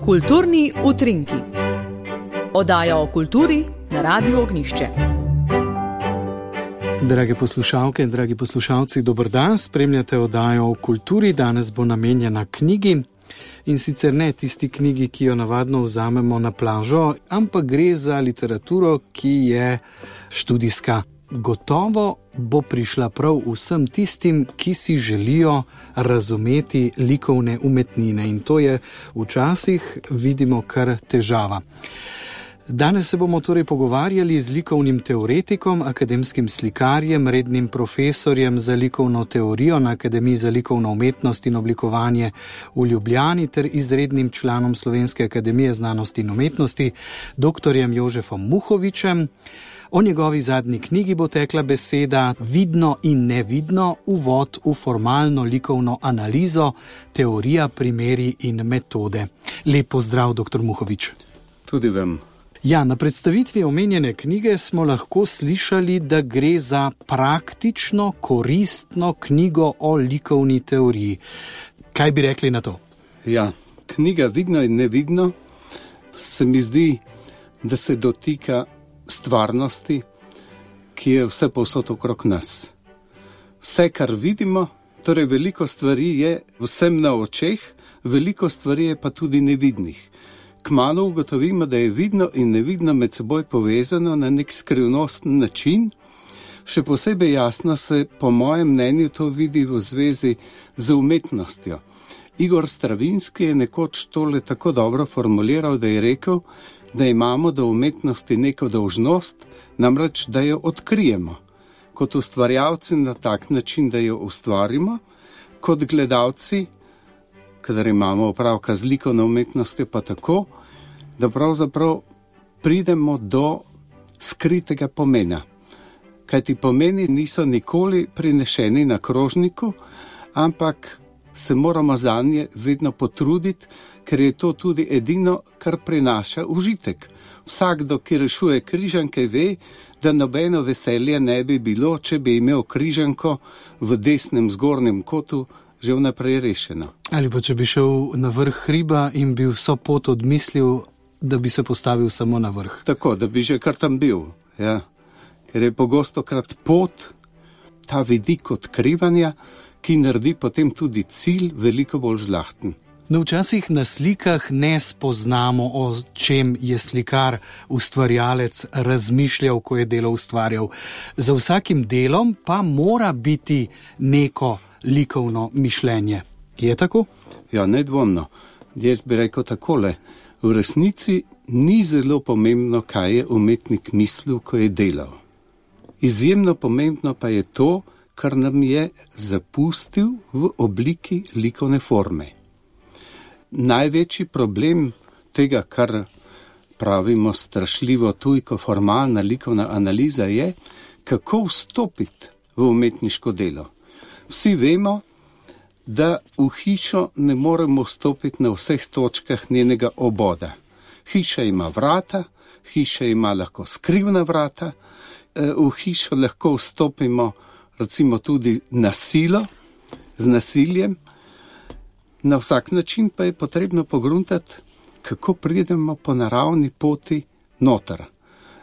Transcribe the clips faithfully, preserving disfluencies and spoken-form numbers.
Kulturni utrinki. Oddaja o kulturi na Radiu Ognjišče. Drage poslušalke in dragi poslušalci, dober dan, spremljate oddajo o kulturi. Danes bo namenjena knjigi, in sicer ne tisti knjigi, ki jo navadno vzamemo na plažo, ampak gre za literaturo, ki je študijska. Gotovo bo prišla prav vsem tistim, ki si želijo razumeti likovne umetnine, in to je včasih, vidimo, kar težava. Danes se bomo torej pogovarjali z likovnim teoretikom, akademskim slikarjem, rednim profesorjem za likovno teorijo na Akademiji za likovno umetnost in oblikovanje v Ljubljani ter izrednim članom Slovenske akademije znanosti in umetnosti, doktorjem Jožefom Muhovičem. O njegovi zadnji knjigi bo tekla beseda Vidno in nevidno, uvod v formalno likovno analizo, teorija, primeri in metode. Lep pozdrav, doktor Muhovič. Tudi vam. Ja, na predstavitvi omenjene knjige smo lahko slišali, da gre za praktično, koristno knjigo o likovni teoriji. Kaj bi rekli na to? Ja, knjiga Vidno in nevidno se mi zdi, da se dotika stvarnosti, ki je vse povsod okrog nas. Vse, kar vidimo, torej veliko stvari je vsem na očeh, veliko stvari je pa tudi nevidnih. Kmalu ugotovimo, da je vidno in nevidno med seboj povezano na nek skrivnosten način. Še posebej jasno se, po mojem mnenju, to vidi v zvezi z umetnostjo. Igor Stravinski je nekoč tole tako dobro formuliral, da je rekel, da imamo do umetnosti neko dolžnost, namreč, da jo odkrijemo. Kot ustvarjalci na tak način, da jo ustvarimo, kot gledalci, kadar imamo opravka z likovno umetnostjo, pa tako, da pravzaprav pridemo do skritega pomena. Kajti pomeni niso nikoli prinešeni na krožniku, ampak se moramo zanje vedno potruditi, ker je to tudi edino, kar prinaša užitek. Vsakdo, ki rešuje križanke, ve, da nobeno veselje ne bi bilo, če bi imel križanko v desnem zgornjem kotu že vnaprej rešeno. Ali pa če bi šel na vrh hriba in bi vso pot odmislil, da bi se postavil samo na vrh. Tako, da bi že kar tam bil. Ja. Ker je pogostokrat pot, ta vidik odkrivanja, ki naredi potem tudi cilj veliko bolj žlahten. No, včasih na slikah ne spoznamo, o čem je slikar, ustvarjalec razmišljal, ko je delo ustvarjal. Za vsakim delom pa mora biti neko likovno mišljenje. Je tako? Ja, nedvomno. Jaz bi rekel takole. V resnici ni zelo pomembno, kaj je umetnik mislil, ko je delal. Izjemno pomembno pa je to, kar nam je zapustil v obliki likovne forme. Največji problem tega, kar pravimo strašljivo tujko formalna likovna analiza, je, kako vstopiti v umetniško delo. Vsi vemo, da v hišo ne moremo vstopiti na vseh točkah njenega oboda. Hiša ima vrata, hiša ima lahko skrivna vrata, v hišo lahko vstopimo recimo tudi na silo, z nasiljem. Na vsak način pa je potrebno pogruntati, kako pridemo po naravni poti noter.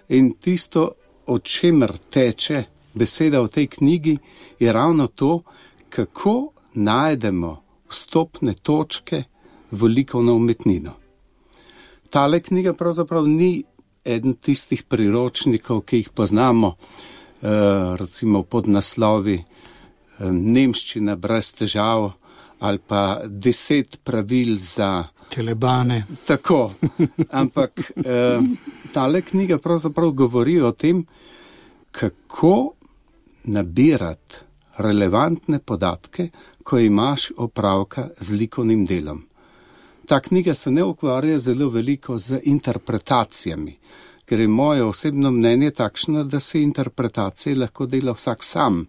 In tisto, o čemer teče beseda v tej knjigi, je ravno to, kako najdemo vstopne točke v likovno umetnino. Tale knjiga pravzaprav ni eden tistih priročnikov, ki jih poznamo, recimo pod naslovi Nemščina brez težav ali pa deset pravil za telebane. Tako, ampak tale knjiga pravzaprav govori o tem, kako nabirati relevantne podatke, ko imaš opravka z likovnim delom. Ta knjiga se ne ukvarja zelo veliko z interpretacijami, ker je moje osebno mnenje takšno, da se interpretacije lahko dela vsak sam.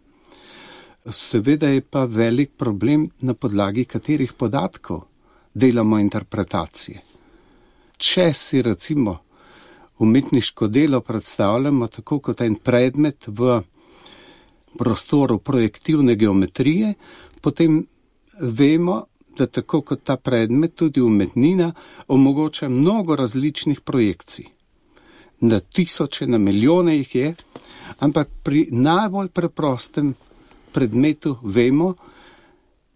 Seveda je pa velik problem, na podlagi katerih podatkov delamo interpretacije. Če si recimo umetniško delo predstavljamo tako kot en predmet v prostoru projektivne geometrije, potem vemo, da tako kot ta predmet, tudi umetnina omogoča mnogo različnih projekcij. Na tisoče, na milijone jih je, ampak pri najbolj preprostem predmetu vemo,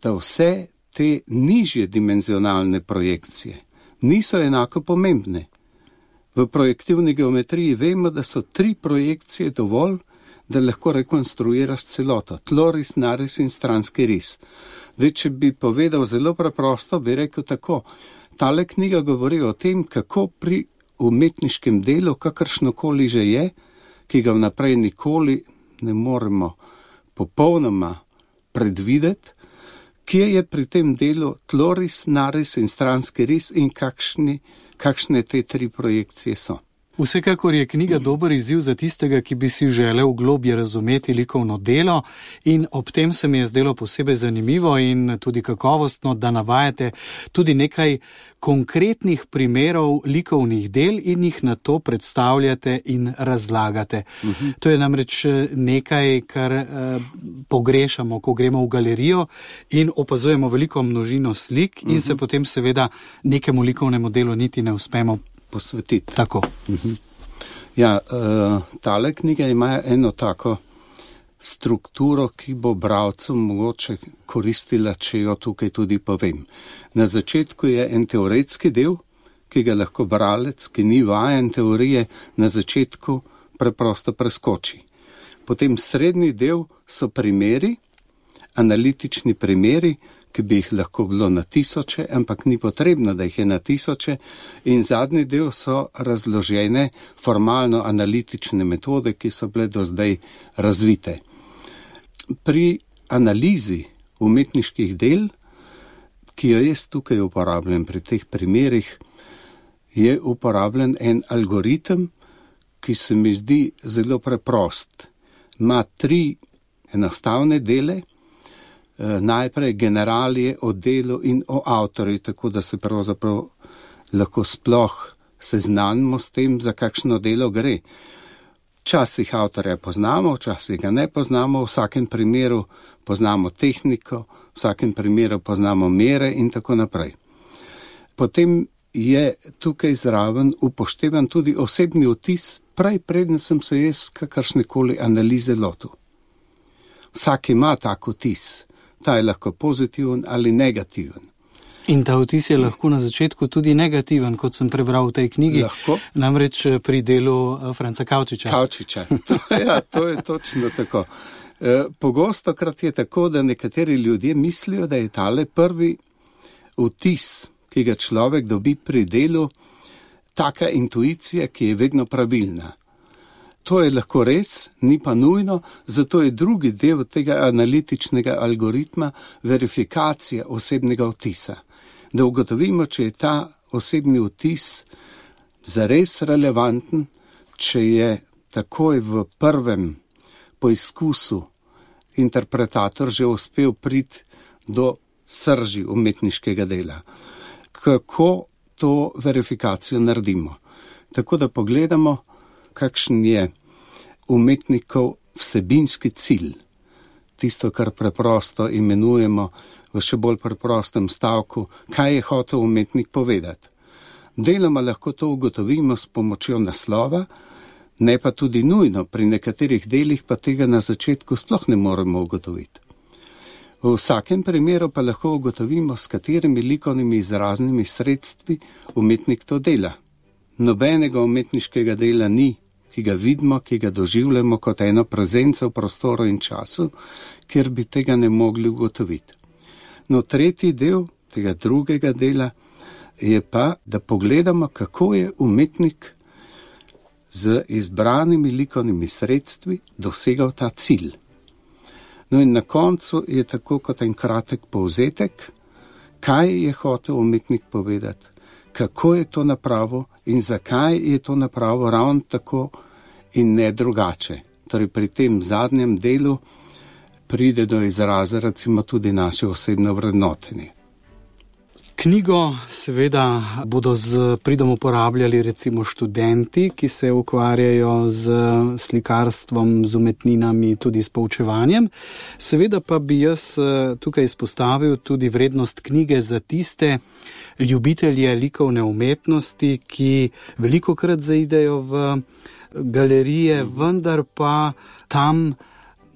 da vse te nižje dimenzionalne projekcije niso enako pomembne. V projektivni geometriji vemo, da so tri projekcije dovolj, da lahko rekonstruiraš celoto, tloris, naris in stranski ris. Zdaj, če bi povedal zelo preprosto, bi rekel tako, tale knjiga govori o tem, kako pri umetniškem delu, kakršnokoli že je, ki ga vnaprej nikoli ne moremo popolnoma predvideti, kje je pri tem delu tloris, naris in stranski ris in kakšni, kakšne te tri projekcije so. Vsekakor je knjiga dober izziv za tistega, ki bi si želel globje razumeti likovno delo, in ob tem se mi je zdelo posebej zanimivo in tudi kakovostno, da navajate tudi nekaj konkretnih primerov likovnih del in jih na to predstavljate in razlagate. Uh-huh. To je namreč nekaj, kar eh, pogrešamo, ko gremo v galerijo in opazujemo veliko množino slik in uh-huh. se potem seveda nekemu likovnemu delu niti ne uspemo posvetiti. Tako. Uh-huh. Ja, uh, tale knjiga ima eno tako strukturo, ki bo bralcu mogoče koristila, če jo tukaj tudi povem. Na začetku je en teoretski del, ki ga lahko bralec, ki ni vajen teorije, na začetku preprosto preskoči. Potem srednji del so primeri, analitični primeri, ki bi jih lahko bilo na tisoče, ampak ni potrebno, da jih je na tisoče, in zadnji del so razložene formalno-analitične metode, ki so bile do zdaj razvite. Pri analizi umetniških del, ki jo jaz tukaj uporabljam pri teh primerih, je uporabljen en algoritem, ki se mi zdi zelo preprost. Ima tri enostavne dele, najprej generalije o delu in o avtorju, tako da se pravzaprav lahko sploh seznanimo s tem, za kakšno delo gre. Včasih avtorja poznamo, včasih ga ne poznamo, v vsakem primeru poznamo tehniko, v vsakem primeru poznamo mere in tako naprej. Potem je tukaj zraven upoštevan tudi osebni vtis, prej preden sem se jaz kakršnekoli analize lotil. Vsak ima tak vtis. Ta je lahko pozitiven ali negativen. In ta vtis je lahko na začetku tudi negativen, kot sem prebral v tej knjigi. Lahko. Namreč pri delu Franca Kavčiča. Kavčiča, ja, to je točno tako. E, pogostokrat je tako, da nekateri ljudje mislijo, da je tale prvi vtis, ki ga človek dobi pri delu, taka intuicija, ki je vedno pravilna. To je lahko res, ni pa nujno, zato je drugi del tega analitičnega algoritma verifikacija osebnega vtisa. Da ugotovimo, če je ta osebni vtis zares relevanten, če je takoj v prvem poizkusu interpretator že uspel priti do srži umetniškega dela. Kako to verifikacijo naredimo? Tako da pogledamo, kakšen je umetnikov vsebinski cilj, tisto, kar preprosto imenujemo v še bolj preprostem stavku, kaj je hotel umetnik povedati. Deloma lahko to ugotovimo s pomočjo naslova, ne pa tudi nujno, pri nekaterih delih pa tega na začetku sploh ne moremo ugotoviti. V vsakem primeru pa lahko ugotovimo, s katerimi likovnimi izraznimi sredstvi umetnik to dela. Nobenega umetniškega dela ni, ki ga vidimo, ki ga doživljamo kot eno prezenco v prostoru in času, kjer bi tega ne mogli ugotoviti. No, tretji del tega drugega dela je pa, da pogledamo, kako je umetnik z izbranimi likovnimi sredstvi dosegal ta cilj. No in na koncu je tako kot en kratek povzetek, kaj je hotel umetnik povedati, kako je to napravil in zakaj je to napravil ravno tako in ne drugače. Torej pri tem zadnjem delu pride do izraza recimo tudi naše osebno vrednotenje. Knjigo seveda bodo z pridom uporabljali recimo študenti, ki se ukvarjajo z slikarstvom, z umetninami, tudi s poučevanjem. Seveda pa bi jaz tukaj izpostavil tudi vrednost knjige za tiste ljubitelje likovne umetnosti, ki velikokrat zaidejo v galerije, vendar pa tam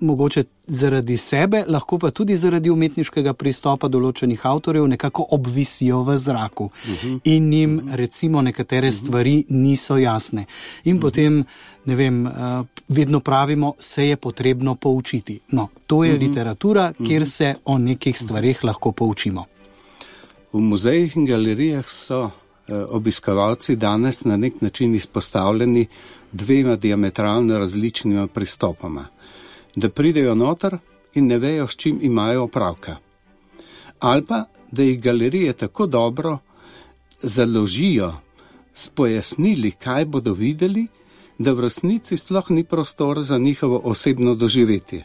mogoče zaradi sebe, lahko pa tudi zaradi umetniškega pristopa določenih avtorjev nekako obvisijo v zraku uh-huh. in jim recimo nekatere uh-huh. stvari niso jasne. In uh-huh. potem, ne vem, vedno pravimo, se je potrebno poučiti. No, to je uh-huh. literatura, kjer se o nekih stvarih lahko poučimo. V muzejih in galerijah so obiskovalci danes na nek način izpostavljeni dvema diametralno različnima pristopoma. Da pridejo noter in ne vejo, s čim imajo opravka. Ali pa, da jih galerije tako dobro založijo s pojasnili, kaj bodo videli, da v resnici sploh ni prostor za njihovo osebno doživetje.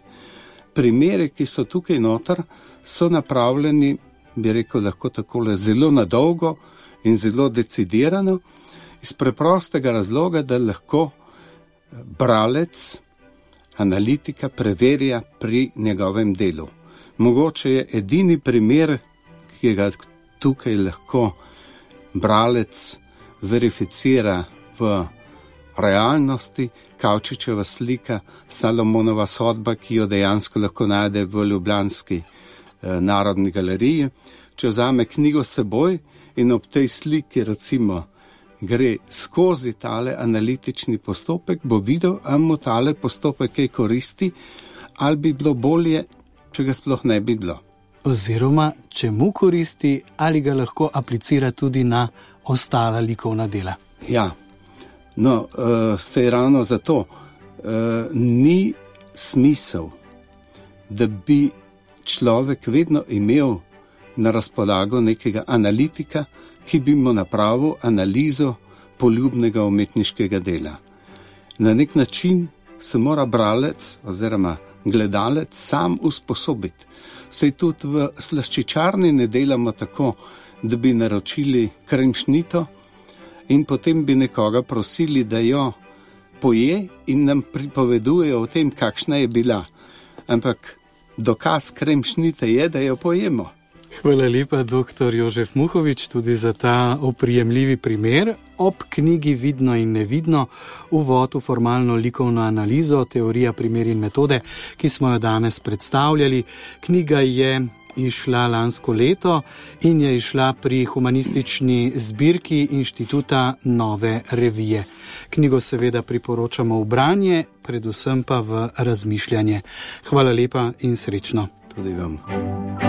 Primere, ki so tukaj noter, so napravljeni, bi rekel lahko takole, zelo nadolgo in zelo decidirano, iz preprostega razloga, da lahko bralec, analitika preverja pri njegovem delu. Mogoče je edini primer, ki ga tukaj lahko bralec verificira v realnosti, Kavčičeva slika, Salomonova sodba, ki jo dejansko lahko najde v ljubljanski eh, narodni galeriji. Če vzame knjigo s seboj in ob tej sliki recimo gre skozi tale analitični postopek, bo videl, ali mu tale postopek kaj koristi, ali bi bilo bolje, če ga sploh ne bi bilo. Oziroma, če mu koristi, ali ga lahko aplicira tudi na ostala likovna dela. Ja, no, uh, sej ravno zato uh, ni smisel, da bi človek vedno imel na razpolago nekega analitika, ki bi mu napravil analizo poljubnega umetniškega dela. Na nek način se mora bralec oziroma gledalec sam usposobiti. Sej tudi v slaščičarni ne delamo tako, da bi naročili kremšnito in potem bi nekoga prosili, da jo poje in nam pripoveduje o tem, kakšna je bila. Ampak dokaz kremšnite je, da jo pojemo. Hvala lepa, doktor Jožef Muhovič, tudi za ta oprijemljivi primer. Ob knjigi Vidno in nevidno, uvod v formalno likovno analizo, teorija, primer in metode, ki smo jo danes predstavljali. Knjiga je išla lansko leto in je išla pri humanistični zbirki Inštituta Nove revije. Knjigo seveda priporočamo v branje, predvsem pa v razmišljanje. Hvala lepa in srečno. Tudi vam.